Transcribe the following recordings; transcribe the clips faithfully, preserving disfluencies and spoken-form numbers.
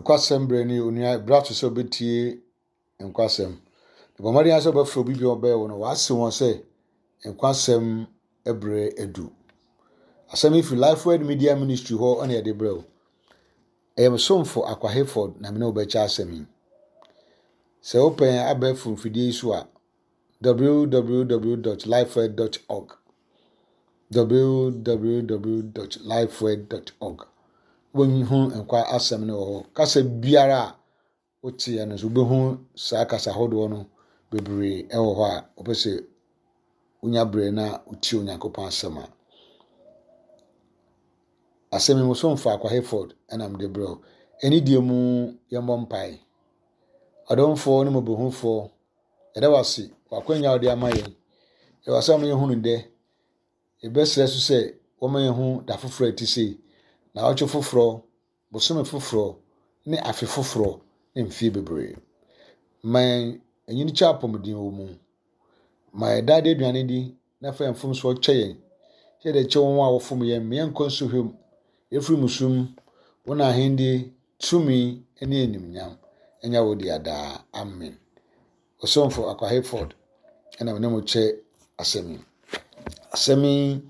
Nokwasɛm berɛ ne onua berɛ ato sɛ wobɛtie nkwasɛm. Na bɔ mmɔden ara sɛ wobɛfrɛ obi bi a ɔbɛn wo no, wase wɔn sɛ nkwasɛm berɛ adu. Asɛm yi firi Lifeword Media Ministry hɔ na yɛde brɛ wo. Ɛyɛ me somfo Akwa Hayford na me ne wo bɛkyɛ asɛm yi. Sɛ wopɛ yɛn abɛɛfo mfidie yi so a, www dot lifeword dot org www dot lifeword dot org Wobɛhu nkwa asɛm no wɔ hɔ. Kasa biara a woteɛ no nso wobɛhu saa kasa ahodoɔ no bebree wɔ hɔ a wopɛ sɛ wonya berɛ na wotie Onyankopɔn asɛm a. Asɛm yi mu so mfa Akwa Hayford ɛna mede brɛ wo. Ɛne deɛ mu yɛmmɔ mpae. Ɔdomfoɔ ne mmɔborɔhunufoɔ, yɛda wo ase wɔ akwanya a wode ama yɛn. Yɛwɔ asɛm a yɛhunu dɛ. Yɛbɛsrɛ so sɛ wɔma yɛhu da foforɔ a ɛte sei, naawɔtwe foforɔ, bosome foforɔ, ne afe foforɔ, ne mfeɛ bebree. Ma yɛn anyini kyɛ apɔmuden wɔ mu. Ma yɛn daa aduane di na fa yɛn mfomsoɔ kyɛ yɛn. Sɛ yɛde kyɛ wɔn a wɔfom yɛn, ma yɛnkɔ nsohwɛ mu. Yɛfiri musu mu, wo na ahenni, tumi ne animuonyam ɛnyɛ wo dea daa. Amen. Ɔsomfo Akwa Hayford ɛna me ne mo kyɛ asɛm yi. Asɛm yi,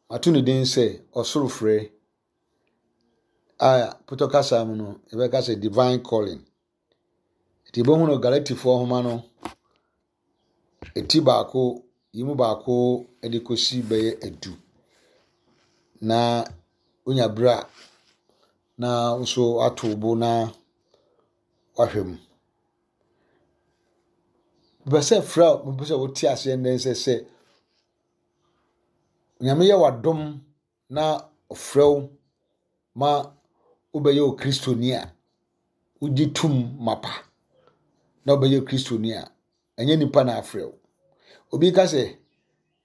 mato ne din sɛ Ɔsoro Frɛ a Pɔtɔ kasa mu no, yɛbɛka sɛ Divine Calling. Nti yɛbɛhu no Galatifoɔ nhoma no, eti baako, yi mu baako de kɔsi bɛyɛ edu. Na wonya berɛ a, na nso ato wo bo na wahwɛ mu. Mepɛ sɛ frɛ a mepɛ sɛ wote aseɛ nnɛ sɛ sɛ Nyame yɛ w'adom na ɔfrɛ wo ma wobɛyɛ Okristoni a, wogye tom mapa na wobɛyɛ Kristoni a, ɛnyɛ nipa na afrɛ wo. Obi ka sɛ,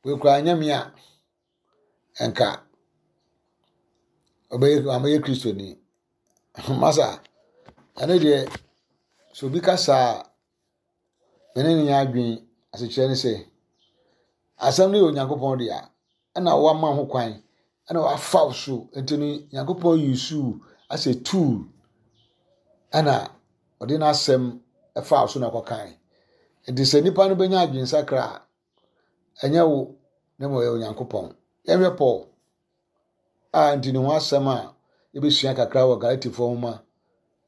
wei koraa nyɛ me a, ɛnka ɔbɛyɛ amɛyɛ Kristoni. Masa, ɛno deɛ, sɛ obi ka saa a, me ne no nyɛ adwene. Asekyerɛ ne sɛ, asɛm no yɛ Onyankopɔn dea, ɛna wama ho kwan, ɛna wafa wo so. Nti no, Nyankopɔn use wo as a tool, ɛna ɔde n'asɛm ɛfa wo so na ɔkɔkae. Nti sɛ nipa no bɛnya adwensakra a, ɛnyɛ wo na mmom ɛyɛ Onyankopɔn. Yɛhwɛ Paul a nti ne ho asɛm a yɛbɛsua kakra wɔ Galatifoɔ nhoma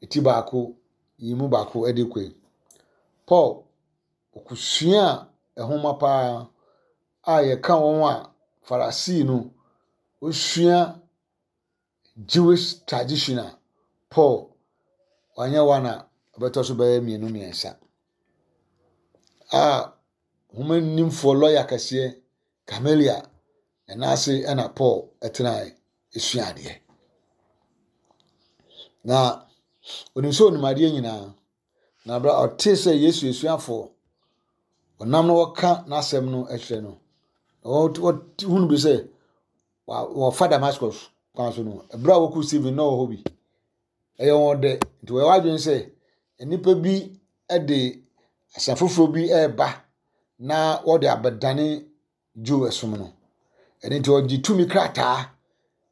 eti baako, yi mu baako de kɔ yi. Paul ɔkosua nhoma paa a yɛka wɔn a Farisii no osua Jewish tradition a Paul wanyɛ one a ɔbɛtɔ so bɛyɛ mmienu mmiɛnsa. A nhoma nimfoɔ lɔya kɛseɛ Gamaliel ɛna ase ɛna Paul ɛtenae esua adeɛ. Na onim sɛ onim adeɛ nyinaa. Na abira ɔte sɛ Yesu esuafoɔ ɔnam na wɔka n'asɛm no kyerɛ no. Wɔhunu bi sɛ wɔfa Damascus kwan so no, ɛberɛ a wɔkuu Stephen na ɔwɔ hɔ bi. Ɛyɛ wɔn dɛ. Nti wɔyɛ wɔadwene sɛ nnipa bi de asɛm foforɔ bi reba na wɔde abɛdane Jew som no. Ɛno nti wɔgye tumi krataa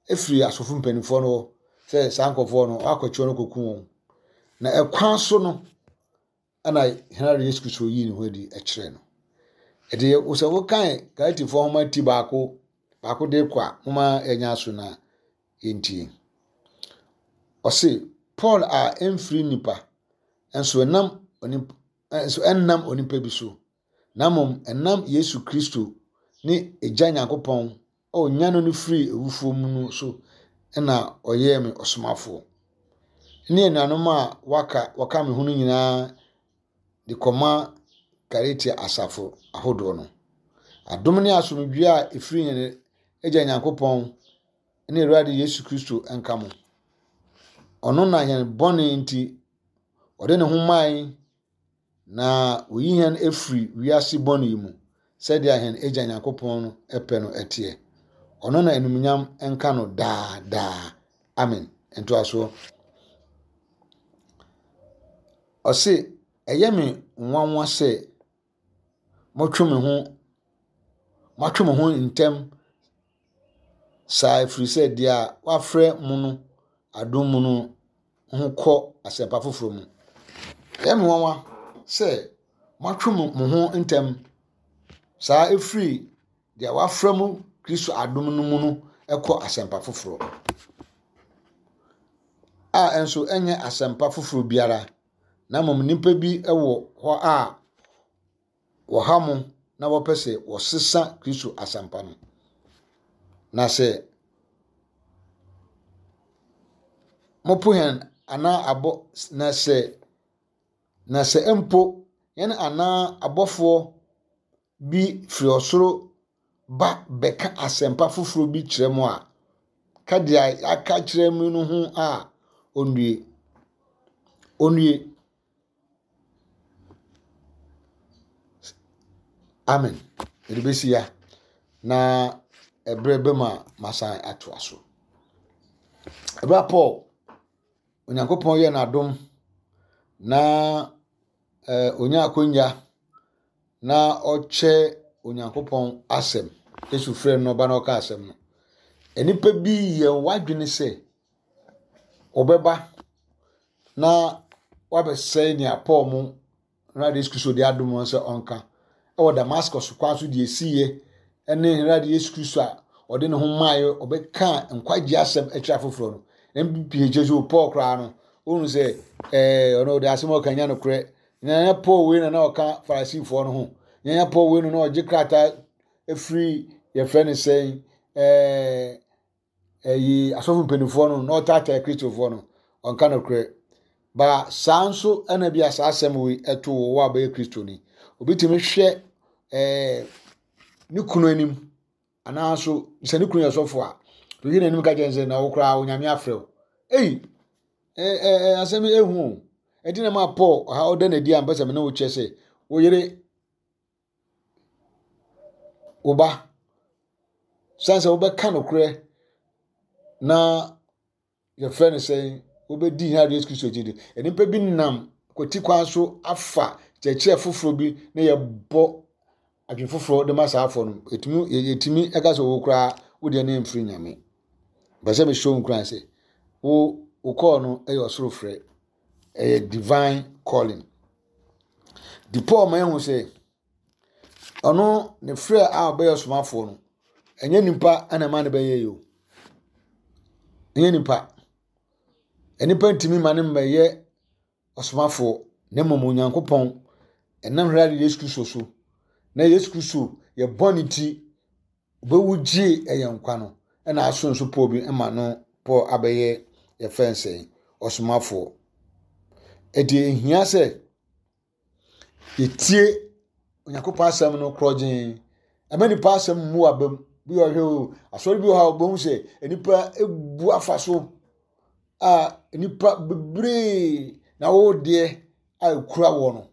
efiri asɔfo mpanimfoɔ no hɔ sɛ saa nkurɔfoɔ no wɔakɔkye wɔn akɔku wɔn. Na ɛkwan so no ɛna Henry Yesu Kristo yii ne ho adi kyerɛɛ no. Ɛnti sɛ wokan Galatifoɔ nhoma ti baako baako de kɔ a, moma yɛnya so na yɛntie. Ɔse, Paul a ɛmfiri nipa, nso ɛnam onipa, nso ɛnnam onipa bi so, na mmom ɛnam Yesu Kristo ne Agya Nyankopɔn a ɔnyane no firi awufoɔ mu no so ɛna ɔyɛɛ me ɔsomafoɔ. Ne anuanom a waka wɔka me ho no nyinaa de kɔma Galatia asafo ahodoɔ no. Adom ne asomdwoe a ɛfiri yɛn Agya Nyankopɔn ne Awurade Yesu Kristo nka mo. Ɔno na yɛn bɔne nti ɔde ne ho mae na oyi yɛn afiri wiase bɔne yi mu sɛdeɛ yɛn Agya Nyankopɔn no pɛ no ɛteɛ. Ɔno na animuonyam nka no daa daa. Amen. Ntoasoɔ. Ɔse, ɛyɛ me nwanwa sɛ motwe me ho moatwe mo ho ntɛm saa ɛfiri sɛ deɛ wafrɛ mo no adom mu no ho kɔ asɛmpa foforɔ mu. Ɛyɛ me nwanwa sɛ moatwe mo ho ntɛm saa ɛfiri deɛ wafrɛ mo Kristo adom no mu no ɛkɔ asɛmpa foforɔ. A ɛnso ɛnyɛ asɛmpa foforɔ biara, na mmom nnipa bi wɔ hɔ a wɔha mo na wɔpɛ sɛ wɔsesa Kristo asɛmpa no. Na sɛ mopo hɛn anaa abɔ na sɛ na sɛ mpo yɛn anaa abɔfoɔ bi firi ɔsoro ba bɛka asɛmpa foforɔ bi kyerɛ mo a, ka deɛ aka kyerɛ mu no ho a onnue. Onnue. Amen. Yɛde bɛsi ya na ɛberɛ bɛ mu a masan atoa so. Ɛberɛ a Paul Onyankopɔn yɛ n'adom na eh, onya akonya na ɔkyɛ Onyankopɔn asɛm. Yesu frɛ no ɔba na ɔka asɛm no. Nnipa bi yɛ wadwene sɛ ɔbɛba na wabɛsɛe nea Paul mu Awurade Yesu Kristo de adom wɔn sɛ ɔnka. Ɛwɔ Damascus kwan so deɛ esiiɛ ɛne Awurade Yesu Kristo a ɔde ne ho maaeɛ ɔbɛka nkwagye asɛm akyerɛ afoforɔ no. M P H sɛ Paul koraa no, ohun sɛ ɛɛ ɔno ɔde asɛm a ɔka nya nokorɛ. Nyanya Paul wei na na ɔka Farisifoɔ no ho. Nyanya Paul wei na na ɔgye krataa efiri yɛfrɛ no sɛn ɛɛ ɛyi asɔfo mpanimfoɔ no na ɔtaataa Kristofoɔ no ɔnka nokorɛ. Ba saa nso ɛna bi a saa asɛm wei ɛto wɔ wɔ a bɛyɛ Kristoni. Obi tumi hwɛ ɛɛ ne kunu anim anaa nso sɛ ne kunu yɛ sɔfo a obi n'anim ka kyerɛ sɛ na wo koraa Onyame afrɛ wo. Ei ɛɛ ɛɛ asɛm ehu o. Ɛnti na ma Paul ɔha ɔda n'adi a mpɛ sɛ me ne wo kyerɛ sɛ wo yere wo ba san sɛ wobɛka nokorɛ na yɛfrɛ no sɛ wobɛdi hia Yesu Kristo akyi de. Nnipa bi nam kwati kwan so afa kyerɛkyerɛ foforɔ bi na yɛbɔ adwene foforɔ de ma saa afɔ no. Ɛtumi yɛtumi ɛka sɛ wo koraa wo deɛ ne mfiri Nyame. Mpɛ sɛ mehyɛ wo nkuran sɛ wo wo kɔɔ no ɛyɛ ɔsoro frɛ. Ɛyɛ divine calling. Di Paul ma ehu sɛ ɔno ne frɛ a ɔbɛyɛ ɔsomafoɔ no ɛnyɛ nipa ɛna ɛma ne bɛyɛ yi o. Ɛnyɛ nipa. Nipa ntumi ma ne mmɛyɛ ɔsomafoɔ na mmom Onyankopɔn ɛnam Awurade Yesu Kristo so. Na Yesu Kristo yɛ bɔ ne ti bɛwu gye ɛyɛ nkwa no ɛna aso nso Paul bi ɛma no Paul abɛyɛ yɛfrɛ nsɛn ɔsomafoɔ. Ɛdi ehia sɛ yɛtie Onyankopɔn asɛm no korɔgyen. Ɛmɛ nipa asɛm mu abam bi wɔ hwɛ o asɔre bi wɔ ha ɔbɛn sɛ nipa ebu afa so a nipa bebree na wɔwɔ deɛ a ekura wɔ no.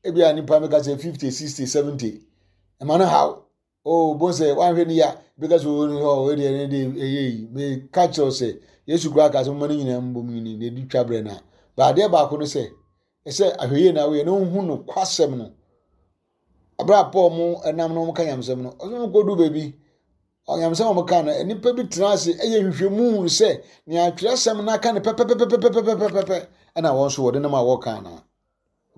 Ebi a nipa meka sɛ fifty, sixty, seventy. Ɛma no haw. Oh, bon sɛ wanhwɛ ni ya bi ka sɛ owó ni hɔ owó deɛ ne de ɛyɛ yi. Me ka kyerɛw sɛ Yesu kura ka sɛ mo ne nyinaa mbom nyini na edi twa brɛ na. Ba adeɛ baako no sɛ ɛsɛ ahwɛyie na woyɛ na wohu no kwasɛm no. Abra Paul mu ɛnam no ka nyamsɛm no. Ɔsɛ mo kɔdu baabi. Ɔnyamsɛm a wɔka no nnipa bi tena ase ɛyɛ nhwehwɛmu sɛ nea atwerɛsɛm no aka no pɛpɛpɛpɛpɛpɛpɛpɛ ɛna wɔn nso wɔde nam a wɔka na.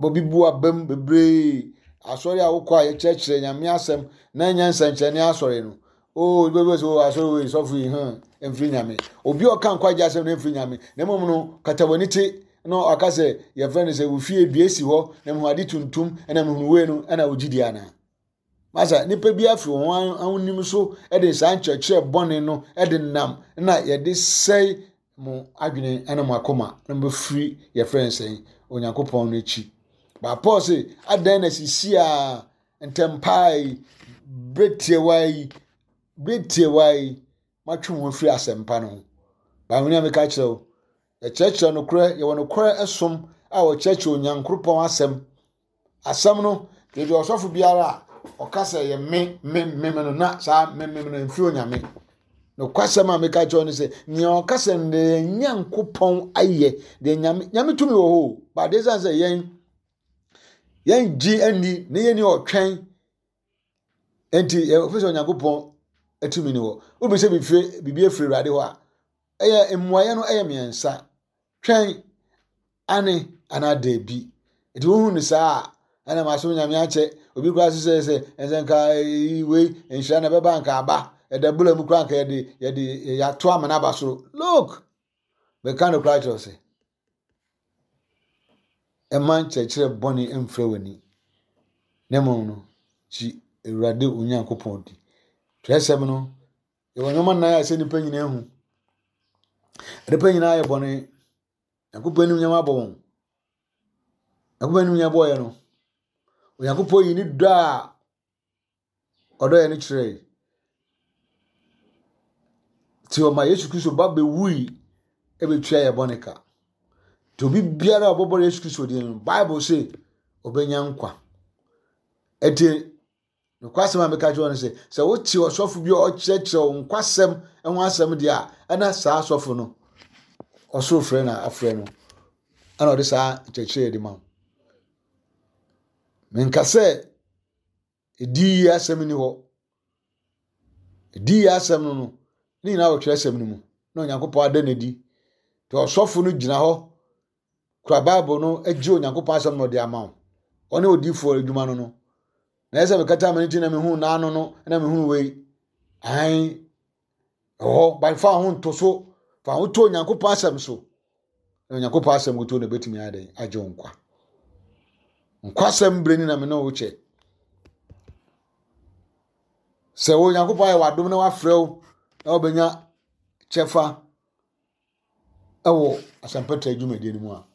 Bɔ bi bu abam bebree. Asɔre a wokɔ a yɛkyerɛkyerɛ Nyame asɛm na ɛnyɛ nsɛnkyerɛnne asɔre no. Oh, bɛbɛ sɛ oh asɔre wei sɔfo yi hɛn mfiri Nyame. Obi a ɔka nkwagye asɛm no mfiri Nyame. Na mmom no kata w'ani te na ɔka sɛ yɛfrɛ no sɛ wofie dua si hɔ na mehu ade tuntum ɛna mehu wei no ɛna wogye di ana. Masa nipa bi afiri wɔn ahonim so ɛde saa nkyerɛkyerɛ bɔne no ɛde nam na yɛde sɛe mo adwene ɛna mo akoma na mo bɛfiri yɛfrɛ no sɛn Onyankopɔn no akyi. Ba Paul se adan na sisi a ntɛmpaa yi bere tiawa yi bere tiawa yi matwe ho afiri asɛmpa no ho. Ba wɔn a meka kyerɛ wo yɛkyerɛkyerɛ nokorɛ yɛwɔ nokorɛ ɛsom a wɔkyerɛkyerɛ Onyankopɔn asɛm. Asɛm no deɛ ɔsɔfo biara a ɔka sɛ yɛ me me me no na saa me me no mfiri Onyame. Nokwasɛm a meka kyerɛ no sɛ nea ɔka sɛ deɛ Nyankopɔn ayɛ deɛ Nyame Nyame tumi wɔ hɔ o. Ba deɛ sɛ yɛn yɛn gye ani na yɛn ni ɔtwɛn nti yɛfɛ sɛ Onyankopɔn atumi ni hɔ. Obi sɛ bibie bibie firi Awurade hɔ a ɛyɛ mmuayɛ no ɛyɛ mmiɛnsa. Twɛn Ane anaa daabi. Nti wohu no saa a, ɛna masom Nyame akyɛ. Obi koraa so sɛ sɛ ɛsɛ nka wei nhyira na ɛbɛba nka aba. Ɛda bula mu koraa nka yɛde yɛde yɛato amena aba soro. Look! Meka no koraa kyerɛ sɛ ɛma nkyerɛkyerɛ bɔne mfrɛ w'ani. Na mmom no, gye Awurade Onyankopɔn di. Twerɛsɛm no, yɛwɔ nneɛma nnan a ɛsɛ nnipa nyinaa hu. Nnipa nyinaa yɛ bɔne. Nyankopɔn anim nyɛma abɔ wɔn. Nyankopɔn anim nyɛ bɔɔyɛ no. Onyankopɔn yi ne dɔ a ɔdɔ yɛ no kyerɛe. Nti ɔma Yesu Kristo ba bɛwui ɛbɛtua yɛ bɔne ka. Nti obi biara a ɔbɛbɔ Yesu Kristo din no, Bible se ɔbɛnya nkwa. Ɛnti nokwasɛm a meka kyerɛ wo no sɛ, sɛ wote ɔsɔfo bi a ɔkyerɛkyerɛ wo nkwasɛm ho asɛm deɛ a, ɛna saa asɔfo no, ɔsoro frɛ na afrɛ no, ɛna ɔde saa nkyerɛkyerɛ de ma wo. Menka sɛ ɛdi yie asɛm ni hɔ. Ɛdi yie asɛm no no, ne nyinaa wɔ twerɛsɛm no mu, na Onyankopɔn ada no adi. Nti ɔsɔfo no gyina hɔ kura Bible no gye Onyankopɔn asɛm na ɔde ama wo. Ɔne odiifoɔ adwuma no no. Na ɛsɛ mekata m'ani ti na mehu n'ano no na mehu wei. Ae, ɛwɔ hɔ, fa ho nto so, fa ho to Onyankopɔn asɛm so. Na Onyankopɔn asɛm kuto na ebetumi ayɛ dɛn agye wo nkwa. Nkwasɛm bere ni na me ne wo kyɛ. Sɛ Onyankopɔn ayɛ w'adom na wafrɛ wo na wobɛnya kyɛfa ɛwɔ asɛmpɛtrɛ dwumadie no mu a,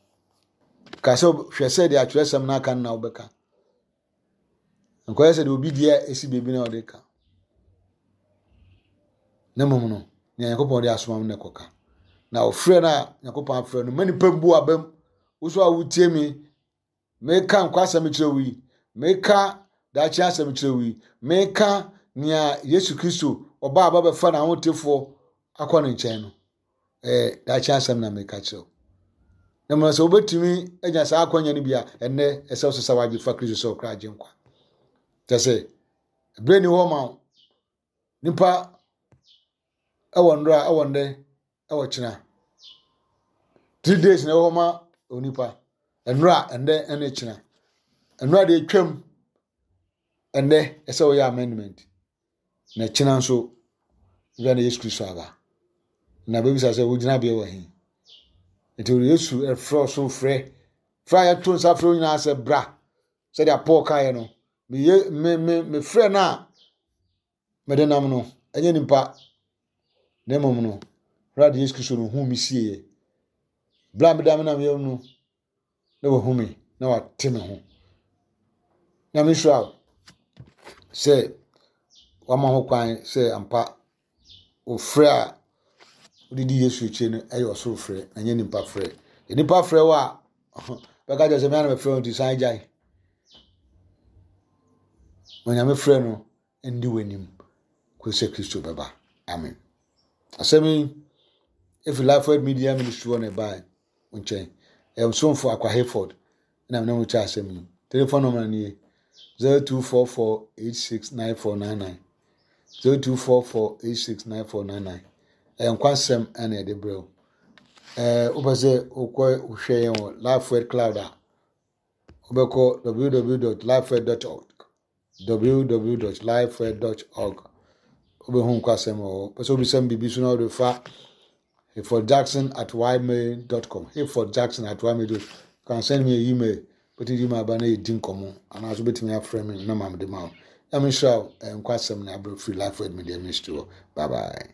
ka sɛ hwɛ sɛ deɛ atwerɛsɛm no aka no na wobɛka. Nkɔyɛ sɛ deɛ obi deɛ ɛsi baabi na ɔde ka. Na mmom no, nea Nyankopɔn de asoma no na ɛkɔka. Na ɔfrɛ no a Nyankopɔn afrɛ no, ma nipa mbu abam. Wo so a wotie me, meka nkwasɛm kyerɛ wo yi, meka daakye asɛm kyerɛ wo yi, meka nea Yesu Kristo ɔba a bɛbɛfa n'ahotefoɔ akɔ ne nkyɛn no. Ɛɛ daakye asɛm na meka kyerɛ wo. Na mmom sɛ wobɛtumi anya saa akwanya no bi a, ɛnnɛ ɛsɛ wo sesa w'adwe fa Kristo sɛ ɔkra agye nkwa. Kyɛ sɛ, ɛberɛ ni hɔ ma wo. Nipa ɛwɔ nnora, ɛwɔ nnɛ, ɛwɔ kyena. Three days na ɛwɔ hɔ ma onipa. Nnora, ɛnnɛ, ɛne kyena. Nnora deɛ twam, ɛnnɛ ɛsɛ wɔyɛ amendment. Na kyena nso, wia na Yesu Kristo aba. Na bɛbisa sɛ wogyina beɛ wɔ he. Nti Yesu ɛfrɛ ɔsoro frɛ. Frɛ a yɛto nsa frɛ wo nyinaa sɛ bra. Sɛdeɛ Paul kaeɛ no, meye me me mefrɛ no a mede nam no, ɛnyɛ nipa. Na mmom no, Awurade Yesu Kristo no hu me sieɛ. Berɛ a meda me nam yam no, na wahu me, na wate me ho. Nyame nhyira wo sɛ wama ho kwan sɛ ampa ofrɛ a wode di Yesu akyi no ɛyɛ ɔsoro frɛ, na ɛnyɛ nipa frɛ. Nipa frɛ wo a, bɛka kyerɛ sɛ me ana mefrɛ wo nti san gyae. Onyame frɛ no ndi w'anim kɔsi sɛ Kristo bɛba. Amen. Asɛm yi efi Lifeword Media Ministry hɔ na ɛbae wo nkyɛn. Ɛyɛ ɔsomfo Akwa Hayford na mene mo kyɛ asɛm yi. Telephone number nie zero two four four eight six nine four nine nine zero two four four eight six nine four nine nine. Ɛyɛ nkwasɛm ɛna ɛde brɛ wo. Ɛɛ wopɛ sɛ wokɔ wohwɛ yɛn wɔ Lifeword Cloud a, wobɛkɔ www dot lifeword dot org www dot lifeword dot org. Wobɛhu nkwasɛm wɔ hɔ. Pɛ sɛ wobisa me biribi so na wode fa Hayford Jackson at ymail dot com. Hayford Jackson at ymail dot com. You can send me an email. Wobɛtumi de email aba na yɛdi nkɔmmɔ. Anaasɛ wobɛtumi afrɛ me na ma mede ma wo. Nyame nhyira wo. Ɛyɛ nkwasɛm na abrɛ firi Lifeword Media Ministry hɔ. Bye bye.